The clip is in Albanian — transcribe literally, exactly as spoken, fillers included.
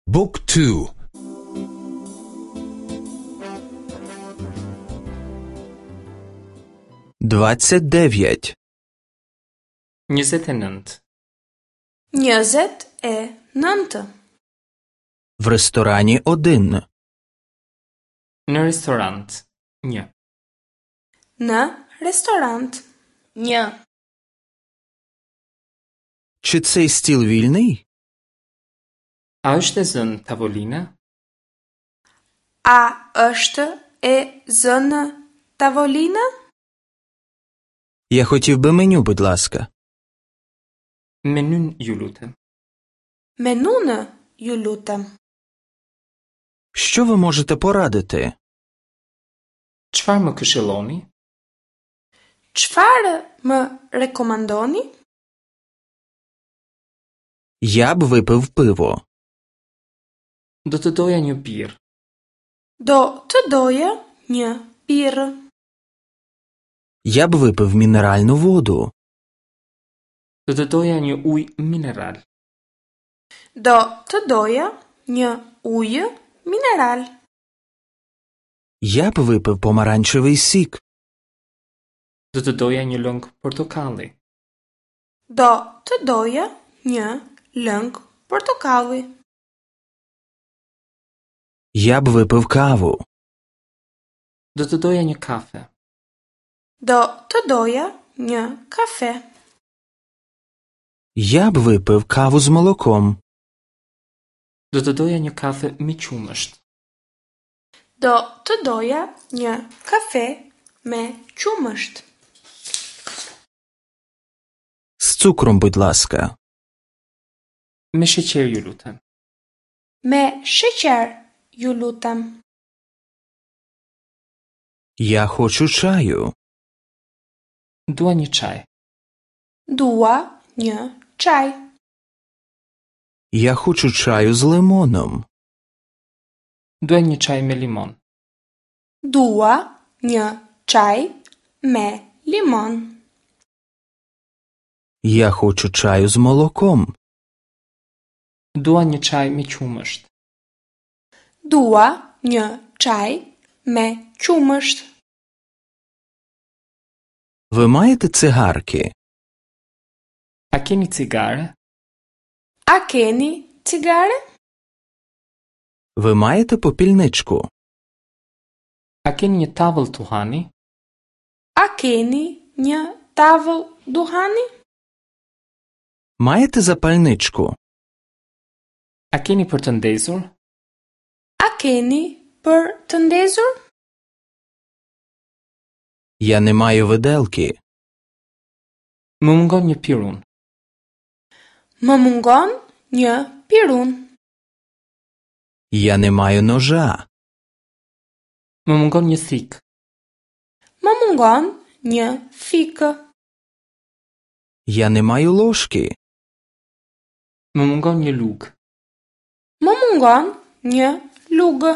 Book two. Двадцять дев'ять. Njëzet e nëntë. Njëzet e nëntë. В ресторані один. Në restorant. Një. Në restorant. Një. Чи цей стіл вільний? A është e zënë tavolina? A është e zënë tavolina? Я хотів би меню, будь ласка. Menyn, ju lutem. Menunë, ju lutem. Що ви можете порадити? Çfarë më këshilloni? Çfarë më rekomandoni? Я б випив пиво. Do të doja një birrë. Do të doja një birrë. Я б випив мінеральну воду. Do të doja një ujë mineral. Do të doja një ujë mineral. Я б випив помаранчевий сік. Do të doja një lëng portokalli. Do të doja një lëng portokalli. Я б випив каву. Do të doja një kafe. Do të doja një kafe. Я б випив каву з молоком. Do të doja një kafe me qumësht. Do të doja një kafe me qumësht. З цукром, будь ласка. Me sheqer, ju lutem. Me sheqer, ju lutem. Я хочу чаю. Dua një çaj. Dua një çaj. Я хочу чаю з лимоном. Dua një çaj me limon. Dua një çaj me limon. Я хочу чаю з молоком. Dua një çaj me qumësht. Dua një çaj me qumësht. Ви маєте цигарки? A keni cigare? A keni cigare? Ви маєте попільничку? A keni një tavëll tuhani? A keni një tavëll duhani? Маєте запальничку? A keni për të ndezur? A keni për të ndezur? Я не маю виделки. Më mungon një pirun. Më mungon një pirun. Я не маю ножа. Më mungon një thikë. Më mungon një thikë. Я не маю ложки. Më mungon një lugë. Më mungon një lugë.